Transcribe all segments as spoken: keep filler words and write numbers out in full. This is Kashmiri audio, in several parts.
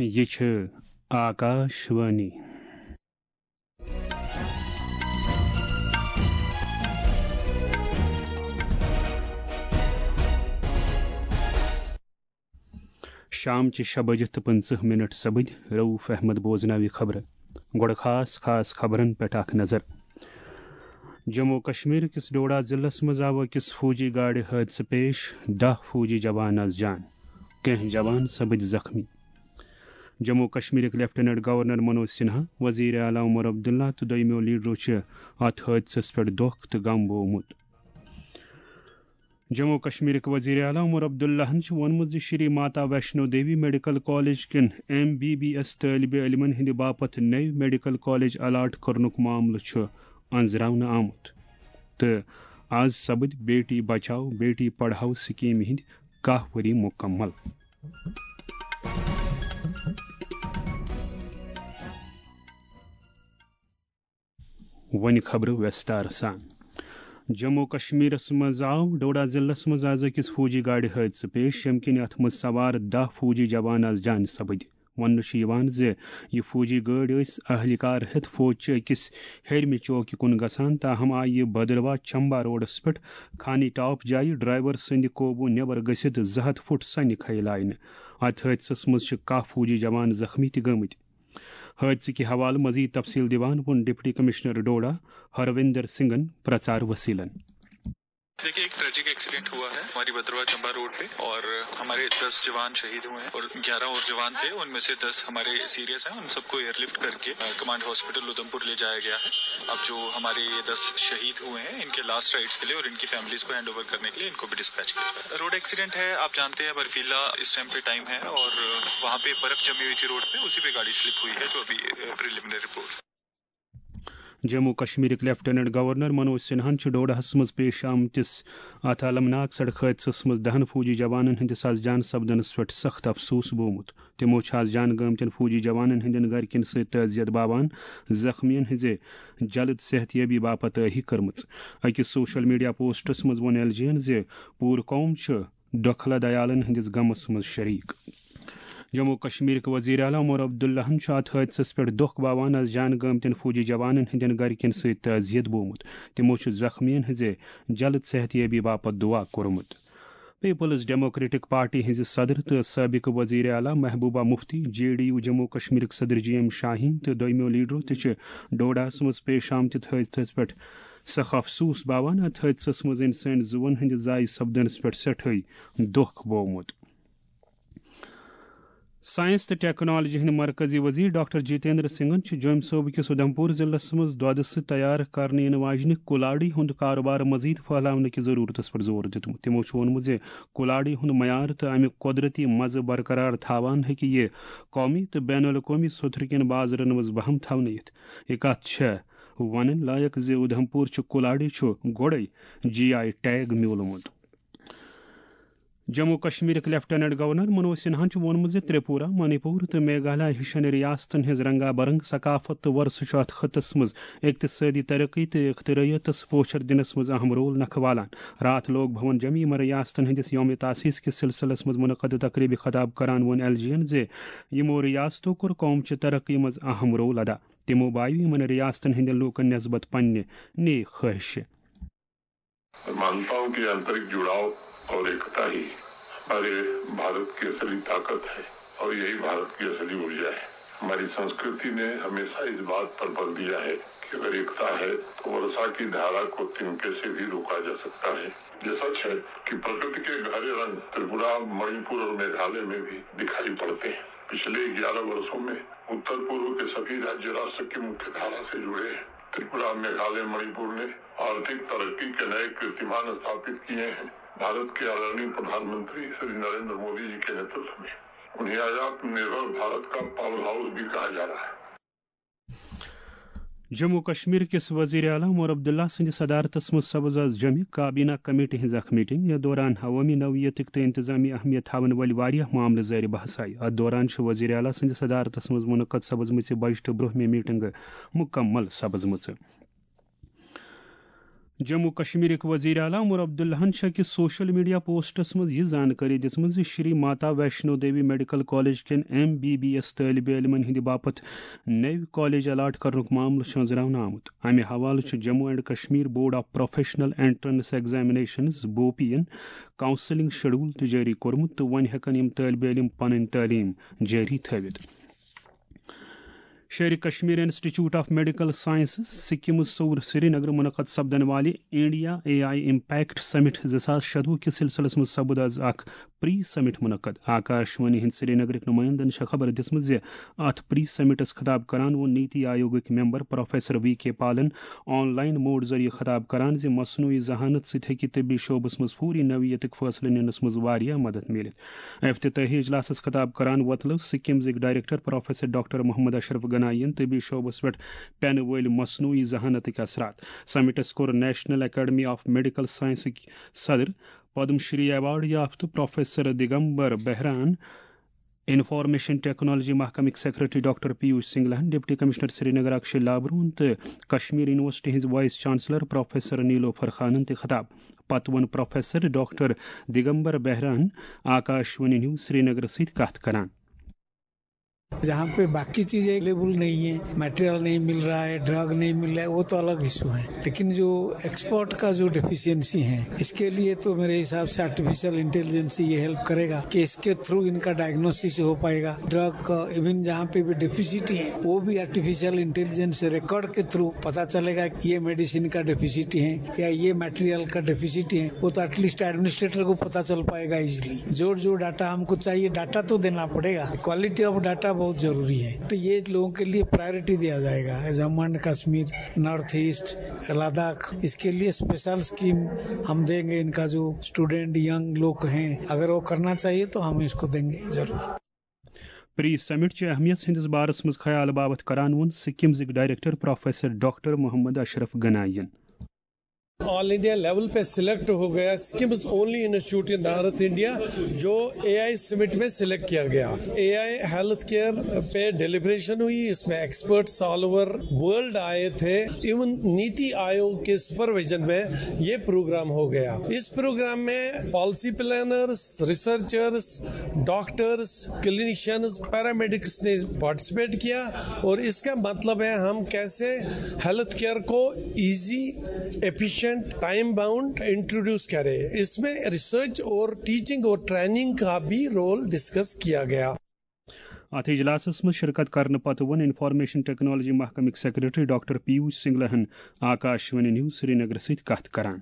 یہِ چھِ آکاش وانی۔ شام چہِ شےٚ بجہِ تہٕ پٕنٛژٕہ مِنٹ سپٕدۍ۔ رؤف احمد بوزناوِ خبرٕ۔ گۄڈٕ خاص خاص خبرن پٮ۪ٹھ اکھ نظر۔ جموں و کشمیر کِس ڈوڈا ضلعس منٛز آو أکِس فوجی گاڑِ حٲدثہٕ پیش، دَہ فوجی جوان از جان، کینٛہہ جوان سپٕدۍ زخمی۔ جموں و کشمیرٕکۍ لیفٹیننٹ گورنر منوج سنہا، وزیر اعلیٰ عمر عبداللہ تہٕ دوٚیمٮ۪و لیڈرو چھِ اتھ حٲدثس پٮ۪ٹھ دۄکھ تہٕ غم بوومُت۔ جموں و کشمیرٕکۍ وزیر اعلیٰ عمر عبداللہن چھُ ووٚنمُت زِ شری ماتا ویشنو دیوی میڈیکل کالج کٮ۪ن ایم بی بی ایس طٲلبہِ علمن ہٕنٛدِ باپتھ نٔوۍ میڈیکل کالج الاٹ کرنُک معاملہٕ چھُ أنٛزراونہٕ آمُت تہٕ از سپٕدۍ بیٹی بچاؤ بیٹی پڑھاؤ سکیمہِ ہٕنٛدۍ کاہ ؤری مکمل۔ وۄنۍ خبرٕ ویستار سان۔ جموں کشمیرس منٛز آو ڈوڈا ضلعس منٛز از أکِس فوجی گاڑِ حٲدثہٕ پیش، ییٚمہِ کِنۍ اتھ منٛز سوار دَہ فوجی جوان از جانہِ سپٕدۍ۔ وننہٕ چھُ یِوان زِ یہِ فوجی گٲڑۍ ٲسۍ اہلکار ہٮ۪تھ فوج چہِ أکِس ہیٚرمہِ چوکہِ کُن گژھان، تاہم آیہِ یہِ بدروا چمبا روڈس پٮ۪ٹھ خانی ٹاپ جایہِ ڈرائیور سٕنٛدِ قوبوٗ نٮ۪بر گٔژھِتھ زٕ ہتھ فُٹ سنہِ کھیلاونہٕ۔ اتھ حٲدثس منٛز چھِ کاہ فوجی جوان زخمی تہِ گٔمٕتۍ۔ حٲدثہٕ کہِ حوالہٕ مزید تفصیل دِوان ووٚن ڈپٹی کمشنر ڈوڈا ہروندر سنگھن پرچار وسیلن۔ देखिए, एक ट्रेजिक एक्सीडेंट हुआ है हमारी भद्रवा चंबा रोड पे और हमारे दस जवान शहीद हुए हैं और ग्यारह और जवान थे, उनमें से दस हमारे सीरियस हैं। उन सबको एयरलिफ्ट करके, अ, कमांड हॉस्पिटल उधमपुर ले जाया गया है। अब जो हमारे ये दस शहीद हुए हैं, इनके लास्ट राइट्स के लिए और इनकी फैमिलीज को हैंड ओवर करने के लिए इनको भी डिस्पैच किया गया है। रोड एक्सीडेंट है, आप जानते हैं, बर्फीला इस टाइम पे टाइम है और वहाँ पे बर्फ जमी हुई थी रोड पे, उसी पे गाड़ी स्लिप हुई है, जो अभी प्रिलिमिनरी रिपोर्ट। جموں و کشمیرٕکۍ لیفٹیننٹ گورنر منوج سنہاہن چھُ ڈوڈاہس منٛز پیش آمتِس اتھ المناک سڑک حٲدثس منٛز دَہن فوجی جوانن ہٕنٛدِس از جان سپدنس پٮ۪ٹھ سخت افسوس بوومُت۔ تِمو چھُ از جان گٲمتٮ۪ن فوجی جوانن ہٕنٛدٮ۪ن گرِکٮ۪ن سۭتۍ تعزیت باوان، زخمیَن ہٕنٛزِ جلد صحتیابی باپتھ ٲہی کٔرمٕژ۔ أکِس سوشل میڈیا پوسٹس منٛز ووٚن ایل جی یَن زِ پوٗرٕ قوم چھُ ڈوکھلا دیالن ہٕنٛدِس غمس منٛز شریک۔ جموں و کشمیرٕکۍ وزیر اعلیٰ عمر عبداللہن چھُ اتھ حٲدثس پٮ۪ٹھ دۄکھ باوان از جان گٲمتٮ۪ن فوجی جوانن ہٕنٛدٮ۪ن گرِکٮ۪ن سۭتۍ تعزیت بوومُت۔ تِمو چھُ زخمیَن ہٕنٛزِ جلد صحتیابی باپتھ دعا کوٚرمُت۔ پیپلز ڈیموکریٹک پارٹی ہٕنٛزِ صدر تہٕ سٲبقہٕ وزیر اعلیٰ Mehbooba Mufti, J D U Jammu و کشمیرٕکۍ صدر جی ایم شاہین تہٕ دوٚیمٮ۪و لیڈرو تہِ چھِ ڈوڈاہس منٛز پیش آمتِس حٲدثس پٮ۪ٹھ سخ افسوس باوان۔ اتھ حٲدثس منٛز انسٲنی زُوَن ہٕنٛدِ ضایع سپدنس پٮ۪ٹھ سٮ۪ٹھٲے دۄکھ بوومُت۔ ساینس تہٕ ٹیکنالوجی ہٕنٛدۍ مرکزی وزیر ڈاکٹر جتیندر سنگھن چھُ جوٚمۍ صوبہٕ کِس اُدھمپور ضلعس منٛز دۄدٕ سۭتۍ تیار کرنہٕ یِنہٕ واجنہِ کُلاڑی ہُنٛد کاروبار مزید پھٔہلاونہٕ کہِ ضروٗرتس پٮ۪ٹھ زور دیُتمُت۔ تِمو چھُ ووٚنمُت زِ کُلاڑی ہُنٛد معیار تہٕ اَمیُک قۄدرتی مزٕ برقرار تھاوان ہیٚکہِ یہِ قومی تہٕ بین الاقوٲمی سطحہٕ کٮ۪ن بازرن منٛز بہم تھاونٲوِتھ۔ یہِ کتھ چھےٚ ونٕنۍ لایق زِ اُدھمپور چھُ کُلاڑی چھُ گۄڈَے جی آئی ٹیگ میوٗلمُت۔ جموں و کشمیرٕکۍ لیفٹیننٹ گورنر منوج سنہاہن چھُ ووٚنمُت زِ تریپورہ، منی پور تہٕ میگھالیہ ہِشن ریاستن ہٕنٛز رنگا برنگ ثقافت تہٕ ورثہٕ چھُ اتھ خطس منٛز اقتصٲدی ترقی تہٕ اختراعیتس پوچھر دِنس منٛز اہم رول نکھٕ والان۔ راتھ لوک بھون جمہِ یِمن ریاستن ہٕنٛدِس یوم تاسیس کِس سلسلس منٛز منعقد تقریبہِ خطاب کران ووٚن ایل جی یَن زِ یِمو ریاستو کوٚر قوم چہِ ترقی منٛز اہم رول ادا۔ تِمو بایو یِمن ریاستن ہٕنٛدٮ۪ن لوٗکن نسبت پننہِ نیک خواہشہِ۔ मानता हूं कि आंतरिक जुड़ाव और एकता ही हमारे भारत की असली ताकत है और यही भारत की असली ऊर्जा है। हमारी संस्कृति ने हमेशा इस बात पर बल दिया है कि अगर एकता है तो वर्षा की धारा को तिनके से भी रोका जा सकता है। ये सच है कि प्रकृति के गहरे रंग त्रिपुरा, मणिपुर और मेघालय में भी दिखाई पड़ते हैं। पिछले ग्यारह वर्षों में उत्तर पूर्व के सभी राज्य राष्ट्र की मुख्य धारा से जुड़े हैं। त्रिपुरा, मेघालय, मणिपुर ने आर्थिक तरक्की के नए कीर्तिमान स्थापित किए हैं। भारत के आदरणीय प्रधानमंत्री श्री नरेंद्र मोदी जी के नेतृत्व में उन्हें आज आत्मनिर्भर भारत का पावर हाउस भी कहा जा रहा है। جموں و کشمیر کِس وزیر اعلیٰ عمر عبداللہ سٕنٛدِ صدارتس منٛز سپٕز از جوٚمہِ کابینہ کمیٹی ہٕنٛز اکھ میٹنگ۔ یتھ دوران عوٲمی نوعیتٕکۍ تہٕ انتظامی اہمیت تھاون وٲلۍ واریاہ معاملہٕ زیر بحث آیہِ۔ اتھ دوران چھِ وزیر اعلیٰ سٕنٛدِ صدارتس منٛز منعقد سپٕزمٕژ بجٹہٕ برونٛہمہِ میٹنگ مکمل سپٕزمٕژ۔ جموں کشمیرٕکۍ وزیر اعلیٰ عمر عبداللہَن چھِ أکِس سوشل میڈیا پوسٹس منٛز یہِ زانکٲری دِژمٕژ زِ شری ماتا ویشنو دیوی میڈیکل کالج کٮ۪ن ایم بی بی ایس طٲلبہِ علمَن ہٕنٛدِ باپتھ نٔوۍ کالج الاٹ کرنُک معاملہٕ چھُ أنٛزراونہٕ آمُت۔ امہِ حوالہٕ چھُ Jammu and Kashmir board of professional entrance examinations, بوپی ین، کاؤنسلنگ شیڈول تہِ جٲری کوٚرمُت تہٕ وۄنۍ ہٮ۪کَن یِم طٲلبہِ علم پنٕنۍ تعلیٖم جٲری تھٲوِتھ۔ Sher Kashmir institute of medical sciences, SKIMS Soura Srinagar منعقد سپدن والہِ India A I impact summit زٕ ساس شتوُہ کِس سلسلس منٛز سپُد از اکھ پری سمٹ منعقد۔ آکاش وانی ہٕنٛدۍ سرینگرٕکۍ نمائندن چھےٚ خبر دِژمٕژ زِ اتھ پری سمٹس خطاب کران ووٚن نیتی آیوگٕکۍ ممبر پروفیسر وی کے پالن آن لائن موڈ ذٔریعہٕ خطاب کران زِ مصنوعی ذہانت سۭتۍ ہیٚکہِ طبی شعبس منٛز فوری نوعیتٕکۍ فٲصلہٕ نِنس منٛز واریاہ مدد میلِتھ۔ افتتاحی اجلاسس خطاب کران وۄتلٲو سکمزٕکۍ ڈائریکٹر پروفیسر ڈاکٹر محمد اشرف گنایی ین طبی شعبس پٮ۪ٹھ پینہٕ وٲلۍ مصنوعی ذہانتٕکۍ اثرات۔ سمٹس کوٚر نیشنل اکیڈمی آف میڈیکل سائنسٕکۍ صدر، پدم شری ایوارڈ یافتہٕ پروفیسر دگمبر بہران، انفارمیشن ٹیکنالوجی محکمٕکۍ سیکرٹری ڈاکٹر پیوش سنگلہن، ڈپٹی کمشنر سرینگر اکشے لابروہن تہٕ کشمیر یونیورسٹی ہٕنٛز وائس چانسلر پروفیسر نیلوفر خانن تہِ خطاب۔ پتہٕ ووٚن پروفیسر ڈاکٹر دگمبر بہران آکاش وانی نیوز سرینگر سۭتۍ کتھ کران۔ जहाँ पे बाकी चीजें अवेलेबल नहीं है, मटेरियल नहीं मिल रहा है, ड्रग नहीं मिल रहा है, वो तो अलग इशू है। लेकिन जो एक्सपर्ट का जो डेफिशिएंसी है, इसके लिए तो मेरे हिसाब से आर्टिफिशियल इंटेलिजेंस ये हेल्प करेगा कि इसके थ्रू इनका डायग्नोसिस हो पाएगा। ड्रग का इवन जहाँ पे भी डेफिसिटी है, वो भी आर्टिफिशियल इंटेलिजेंस रिकॉर्ड के थ्रू पता चलेगा कि ये मेडिसिन का डेफिसिटी है या ये मटेरियल का डेफिसिटी है। वो तो एटलीस्ट एडमिनिस्ट्रेटर को पता चल पाएगा इजिली। जो जो डाटा हमको चाहिए, डाटा तो देना पड़ेगा। क्वालिटी ऑफ डाटा बहुत जरूरी है, तो ये लोगों के लिए प्रायोरिटी दिया जाएगा। Jammu and Kashmir, north east, Ladakh, इसके लिए स्पेशल स्कीम हम देंगे। इनका जो स्टूडेंट, यंग लोग हैं, अगर वो करना चाहिए तो हम इसको देंगे जरूर। پری سمٹ چہِ اہمیت ہٕنٛدِس بارس منٛز خیال باپتھ کران ووٚن سکمزٕکۍ ڈائریکٹر پروفیسر ڈاکٹر محمد اشرف گنایی ین۔ ऑल इंडिया लेवल पे सिलेक्ट हो गया सिक्किम ओनली इंस्टीट्यूट इन नॉर्थ इंडिया जो एआई समिट में सिलेक्ट किया गया। एआई हेल्थ केयर पे डिलीब्रेशन हुई, इसमें एक्सपर्ट्स ऑल ओवर वर्ल्ड आए थे। इवन नीति आयोग के सुपरविजन में ये प्रोग्राम हो गया। इस प्रोग्राम में policy planners, researchers, doctors, clinicians, paramedics ने पार्टिसिपेट किया। और इसका मतलब है हम कैसे हेल्थ केयर को easy, efficient, time bound introduce करें। इसमें रिसर्च और टीचिंग और ट्रेनिंग का भी रोल डिस्कस किया गया। اتھ اجلاسس منٛز شرکت کرنہٕ پتہٕ ووٚن انفارمیشن ٹیکنالوجی محکمٕکۍ سیکرٹری ڈاکٹر پیوش سنگلہن آکاش وانی نیوز سرینگر سۭتۍ کتھ کران۔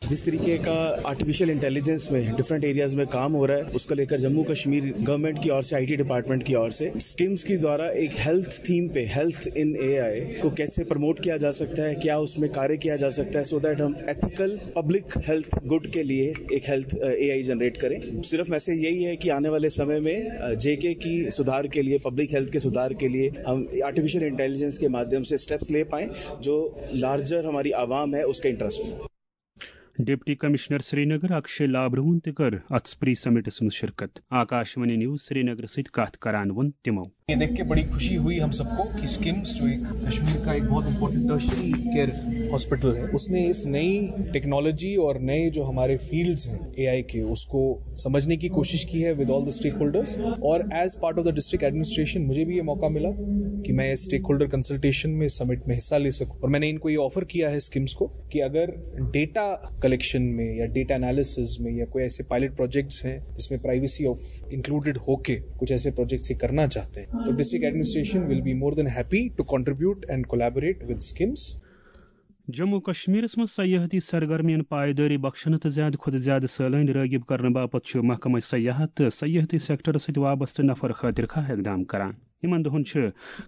जिस तरीके का आर्टिफिशियल इंटेलिजेंस में डिफरेंट एरियाज में काम हो रहा है, उसको लेकर जम्मू कश्मीर गवर्नमेंट की ओर से, आईटी डिपार्टमेंट की ओर से स्किम्स के द्वारा एक हेल्थ थीम पे, हेल्थ इन एआई को कैसे प्रमोट किया जा सकता है, क्या उसमें कार्य किया जा सकता है, सो दैट हम एथिकल पब्लिक हेल्थ गुड के लिए एक हेल्थ एआई जनरेट करें। सिर्फ मैसेज यही है कि आने वाले समय में जेके की सुधार के लिए, पब्लिक हेल्थ के सुधार के लिए हम आर्टिफिशियल इंटेलिजेंस के माध्यम से स्टेप्स ले पाएं जो लार्जर हमारी आवाम है, उसके इंटरेस्ट में। ڈپٹی کمشنر سرینگر اکشے لابروہن تہِ کٔر اتھ پری سمٹس منٛز شرکت۔ آکاش وانی نیوز سرینگر سۭتۍ کتھ کران ووٚن تِمو۔ ये देख के बड़ी खुशी हुई हम सबको कि स्किम्स, जो एक कश्मीर का एक बहुत इंपॉर्टेंट टर्शरी केयर हॉस्पिटल है, उसने इस नई टेक्नोलॉजी और नए जो हमारे फील्ड्स हैं एआई के, उसको समझने की कोशिश की है with all the stakeholders. और as part of the district administration मुझे भी ये मौका मिला कि मैं इस स्टेक होल्डर कंसल्टेशन में, समिट में हिस्सा ले सकूं। और मैंने इनको ये ऑफर किया है स्किम्स को कि अगर डेटा कलेक्शन में या डेटा एनालिसिस में या कोई ऐसे पायलट प्रोजेक्ट्स हैं जिसमें प्राइवेसी ऑफ इंक्लूडेड होके कुछ ऐसे प्रोजेक्ट्स ये करना चाहते हैं, तो district administration will be more than happy to contribute and collaborate with SCIMS. Jammu و کشمیرس منٛز سیاحتی سرگرمیَن پائیدٲری بخشنہٕ تہٕ زیادٕ کھۄتہٕ زیادٕ سٲلٲنۍ رٲغب کرنہٕ باپتھ چھُ محکمہٕ سیاحت تہٕ سیاحتی سیکٹرس سۭتۍ وابستہٕ نفر خٲطرٕ خواہ اقدام کران۔ یِمن دۄہن چھِ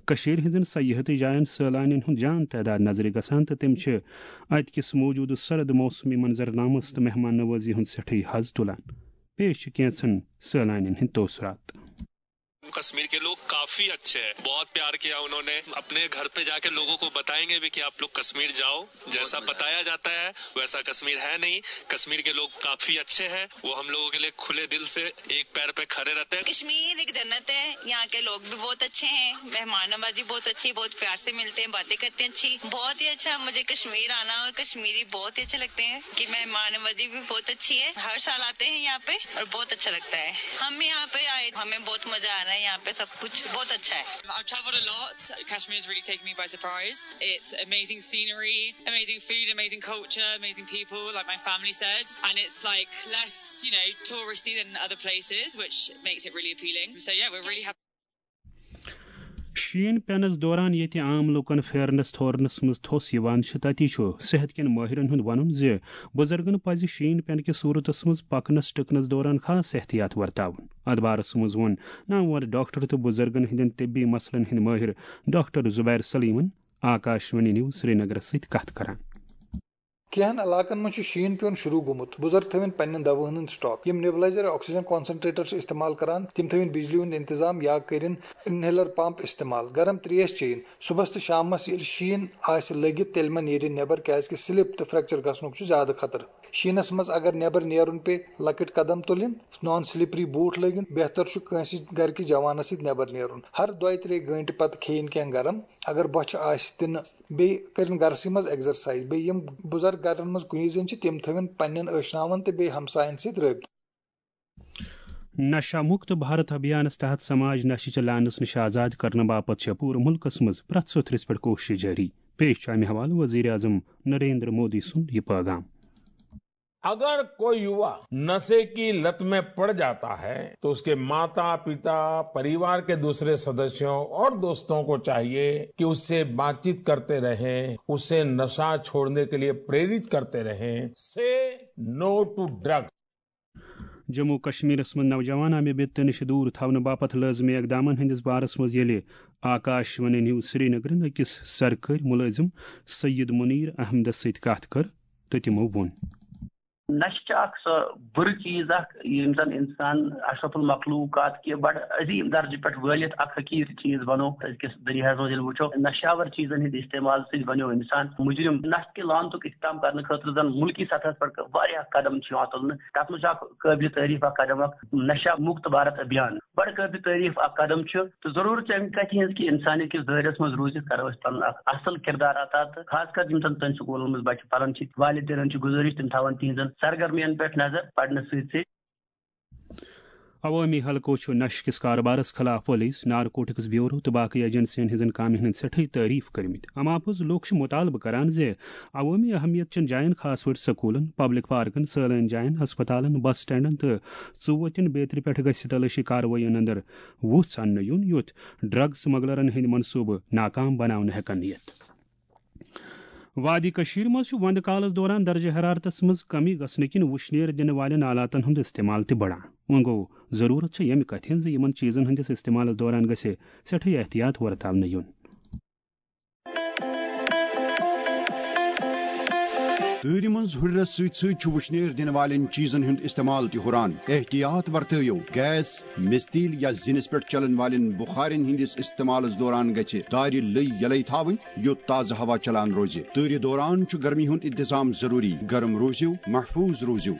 کٔشیٖرِ ہٕنٛزن سیاحتی جاین سٲلانین ہُنٛد جان تعداد نظرِ گژھان تہٕ تِم چھِ اتہِ کِس موجودٕ سرد موسمی منظرنامس تہٕ مہمان نوازی ہُنٛد سٮ۪ٹھٕے حظ تُلان۔ پیش چھِ کینٛژن سٲلانین ہٕنٛدۍ تٲثرات۔ कश्मीर के लोग काफी अच्छे हैं, बहुत प्यार किया उन्होंने। अपने घर पे जाके लोगों को बताएंगे भी कि आप लोग कश्मीर जाओ, जैसा बताया जाता है वैसा कश्मीर है नहीं। कश्मीर के लोग काफी अच्छे हैं, वो हम लोगों के लिए खुले दिल से एक पैर पे खड़े रहते हैं। कश्मीर एक जन्नत है। यहाँ के लोग भी बहुत अच्छे हैं, मेहमान नवाजी बहुत अच्छी, बहुत प्यार से मिलते हैं, बातें करते हैं अच्छी। बहुत ही अच्छा, मुझे कश्मीर आना और कश्मीरी बहुत ही अच्छे लगते हैं कि मेहमान नवाजी भी बहुत अच्छी है। हर साल आते हैं यहाँ पे और बहुत अच्छा लगता है। हम यहाँ पे आए, हमें बहुत मजा आ रहा है, यहाँ पे सब कुछ बहुत अच्छा है। I've traveled a lot. Kashmir's really taken me by surprise. It's amazing scenery, amazing food, amazing culture, amazing people, like my family said. And it's like less, you know, touristy than other places, which makes it really appealing. So yeah, we're really happy. شیٖن پینس دوران ییٚتہِ عام لوٗکن پھیرنس تھورنس منٛز تھوٚس یِوان چھِ، تَتی چھُ صحت کٮ۪ن مٲہرن ہُنٛد وَنُن زِ بُزرگن پَزِ شیٖن پینہٕ کِس صوٗرتس منٛز پکنس ٹٕکنس دوران خاص احتیاط ورتاوُن۔ ادبارس منٛز ووٚن نامور ڈاکٹر تہٕ بُزرگن ہٕنٛدٮ۪ن طبی مسلن ہٕنٛدۍ مٲہر ڈاکٹر زبیر سلیمن آکاش وانی نیوز سرینگرس سۭتۍ کتھ کران۔ کینٛہَن علاقن منٛز چھُ شیٖن پیوٚن شروٗع گوٚمُت۔ بُزرگ تھٲوِن پننٮ۪ن دواہَن ہُنٛد سٹاک۔ یِم نیبلائزر یا آکسیجن کانسنٹریٹر چھِ استعمال کران، تِم تھٲوِن بجلی ہُنٛد انتظام یا کٔرِن انہیلر پمپ استعمال۔ گرم تریش چیٚیِن۔ صُبحس تہٕ شامس ییٚلہِ شیٖن آسہِ لٔگِتھ، تیٚلہِ مہ نیرِن نٮ۪بر، کیازِ کہِ سلپ تہٕ فریکچر گژھنُک چھُ زیادٕ خطرٕ۔ شیٖنس منٛز اگر نٮ۪بر نیرُن پیٚیہِ، لۄکٕٹۍ قدم تُلٕنۍ، نان سلپری بوٗٹھ لٲگِنۍ۔ بہتر چھُ کٲنٛسہِ گرٕ کِس جوانس سۭتۍ نٮ۪بر نیرُن۔ ہر دۄیہِ ترٛیٚیہِ گٲنٛٹہِ پتہٕ کھیٚیِن کینٛہہ گرم۔ اگر بۄچھِ آسہِ تہِ نہٕ، بیٚیہِ کٔرِن گرسٕے منٛز ایکزرسایز۔ بیٚیہِ یِم بُزرگ گرن منٛز کُنی زٔنۍ چھِ، تِم تھٲوِن پننٮ۪ن ٲشناون تہٕ بیٚیہِ ہمساین سۭتۍ رٲبطہٕ۔ نشہ مکت بھارت ابھیانس تحت سماج نشہ چہ لعنس نش آزاد کرنہٕ باپتھ چھےٚ پوٗرٕ مُلکس منٛز پرٛٮ۪تھ سوٚتھرِس پٮ۪ٹھ کوٗشش جٲری۔ پیش چھُ امہِ حوالہٕ وزیر اعظم نریندر مودی سُنٛد یہِ پٲغام۔ अगर कोई युवा नशे की लत में पड़ जाता है तो उसके माता, पिता, परिवार के दूसरे सदस्यों और दोस्तों को चाहिए कि उससे बातचीत करते रहें, उसे नशा छोड़ने के लिए प्रेरित करते रहें। Say no to drug. Jammu کشمیرس منٛز نوجوان امہِ بدتہٕ نِش دوٗر تھاونہٕ باپتھ لٲزمی اقدامن ہٕنٛدِس بارس منٛز ییٚلہِ آکاش وانی نیوز سرینگرن أکِس سرکٲرۍ مُلٲزِم سید منیر احمدس سۭتۍ کتھ کٔر تہٕ تِمو ووٚن۔ نشہٕ چھِ اکھ سۄ بُرٕ چیٖز اکھ، ییٚمہِ زن انسان اشرف المخلوقات کہِ بڑٕ عظیٖم درجہٕ پٮ۪ٹھ وٲلِتھ اکھ حقیٖر چیٖز بنوو۔ أزکِس دُنیاہس منٛز ییٚلہِ وٕچھو، نشہٕ آور چیٖزن ہٕنٛدِ استعمال سۭتۍ بنیو انسان مجرم۔ نشہٕ کہِ لعنتُک اختتام کرنہٕ خٲطرٕ زن مُلکی سطحس پٮ۪ٹھ واریاہ قدم چھِ یِوان تُلنہٕ۔ تتھ منٛز چھُ اکھ قٲبلِ تعریٖف اکھ قدم اکھ نشہ مکت بھارت ابھیان۔ بڑٕ قٲبلِ تعریٖف اکھ قدم چھُ، تہٕ ضروٗرت چھِ امہِ کتھِ ہٕنٛز کہِ انسانیت کِس دٲیرس منٛز روٗزِتھ کرو أسۍ پنُن اکھ اصل کردار ادا۔ تہٕ خاص کر یِم زن تُہنٛدِ سکوٗلن منٛز بچہِ پران چھِ، والدینن چھِ گُزٲرِش تِم تھاون تِہنٛزن سرگرمین پٮ۪ٹھ نظر، پرنہٕ سۭتۍ سۭتۍ۔ عوٲمی حلقو چھُ نشہٕ کِس کارٕبارس خلاف پُلیٖس، نارکوٹکس بیورو تہٕ باقٕے ایجنسین ہٕنٛزن کامٮ۪ن ہٕنٛدۍ سٮ۪ٹھٕے تعریٖف کٔرمٕتۍ۔ اَمہِ باپتھ لوٗکھ چھِ مُطالبہٕ کران زِ عوٲمی اہمیت چٮ۪ن جاین، خاص پٲٹھۍ سکوٗلن، پبلک پارکن، سٲلٲنۍ جاین، ہسپتالن، بس سٹینڈن تہٕ ژُوتٮ۪ن بیترِ پٮ۪ٹھ گژھِ تلٲشی کاروٲیین اندر وُژھ اننہٕ یُن، یُتھ ڈرگ سمگلرن ہٕنٛدۍ منصوٗبہٕ ناکام بناونہٕ ہٮ۪کن یِتھ۔ وادی کٔشیٖر منٛز چھُ وندٕ کالس دوران درجہ حرارتس منٛز کمی گژھنہٕ کِنۍ وُشنیر دِنہٕ والٮ۪ن آلاتن ہُنٛد استعمال تہِ بڑان۔ وۄنۍ گوٚو، ضروٗرت چھےٚ ییٚمہِ کتھِ ہٕنٛز زِ یِمن چیٖزن ہٕنٛدِس استعمالس دوران گژھِ سٮ۪ٹھٕے احتیاط ورتاونہٕ یُن۔ تۭرِ منٛز ہُرٮ۪رس سۭتۍ سۭتۍ چھُ وُشنیر دِنہٕ والٮ۪ن چیٖزن ہُنٛد استعمال تہِ ہُران۔ احتیاط ورتٲیِو، گیس، مِستیٖل یا زِنِس پٮ۪ٹھ چلن والٮ۪ن بُخارٮ۪ن ہٕنٛدِس استعمالس دوران گژھِ دارِ لٔے یلے تھاوٕنۍ، یوٚت تازٕ ہوا چلان روزِ۔ تۭرِ دوران چھُ گرمی ہُنٛد انتظام ضروٗری۔ گرم روٗزِو، محفوٗظ روٗزِو۔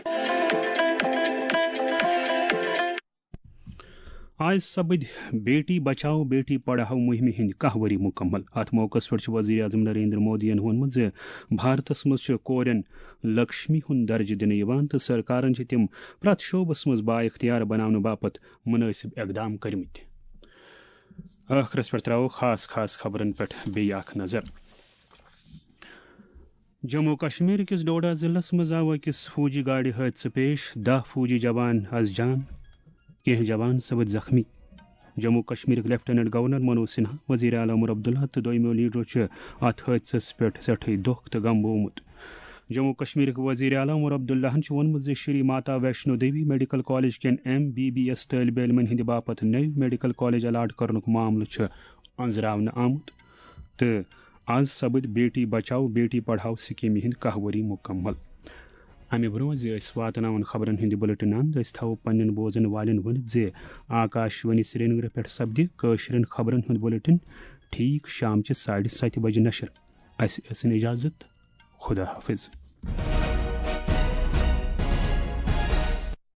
آز سپٕدۍ بیٹی بچاؤ بیٹی پڑھاؤ مُہِمہِ ہٕنٛدۍ کاہ ؤری مُکمل۔ اَتھ موقعس پٮ۪ٹھ چھُ وزیر اعظم نریندر مودیَن ووٚنمُت زِ بھارتس منٛز چھُ کورٮ۪ن لکشمی ہُنٛد درجہٕ دِنہٕ یِوان تہٕ سرکارن چھِ تِم پرٛٮ۪تھ شعبس منٛز بااختیار بناونہٕ باپتھ مُنٲسِب اقدام کٔرمٕتۍ۔ ٲخرس پٮ۪ٹھ ترٛاوو خاص خاص خبرن پٮ۪ٹھ بیٚیہِ اکھ نظر۔ جموں کشمیر کِس ڈوڈہ ضلعس منٛز آو أکِس فوجی گاڑِ حٲدثہٕ پیش، دَہ فوجی جوان از جان، کینٛہہ جوان سپٕدۍ زخمی۔ جموں کشمیرٕکۍ لیفٹیننٹ گورنر منوج سنہا، وزیر اعلیٰ عمر عبداللہ تہٕ دوٚیمٮ۪و لیڈرو چھِ اتھ حٲدثس پٮ۪ٹھ سٮ۪ٹھٕے دۄکھ تہٕ غم بوومُت۔ جموں کشمیرٕکۍ وزیر اعلیٰ عمر عبداللہن چھُ ووٚنمُت زِ شری ماتا ویشنو دیوی میڈیکل کالج کٮ۪ن ایم بی بی ایس طٲلبہِ علمن ہٕنٛدِ باپتھ نٔوۍ میڈیکل کالج الاٹ کرنُک معاملہٕ چھُ أنٛزراونہٕ آمُت تہٕ از سپٕدۍ بیٹی بچاؤ بیٹی پڑھاؤ سکیمہِ ہٕنٛدۍ کاہ ؤری مُکمل۔ امہِ برونٛہہ زِ أسۍ واتناوون خبرن ہٕنٛدِ بُلٹن اند، أسۍ تھاوو پننٮ۪ن بوزن والٮ۪ن ؤنِتھ زِ آکاش وانی سرینگرٕ پٮ۪ٹھ سپدِ کٲشرٮ۪ن خبرن ہُنٛد بُلٹن ٹھیٖک شامچہِ ساڑِ ستہِ بجہِ نشر۔ اسہِ ٲسِن اجازت۔ خدا حافظ۔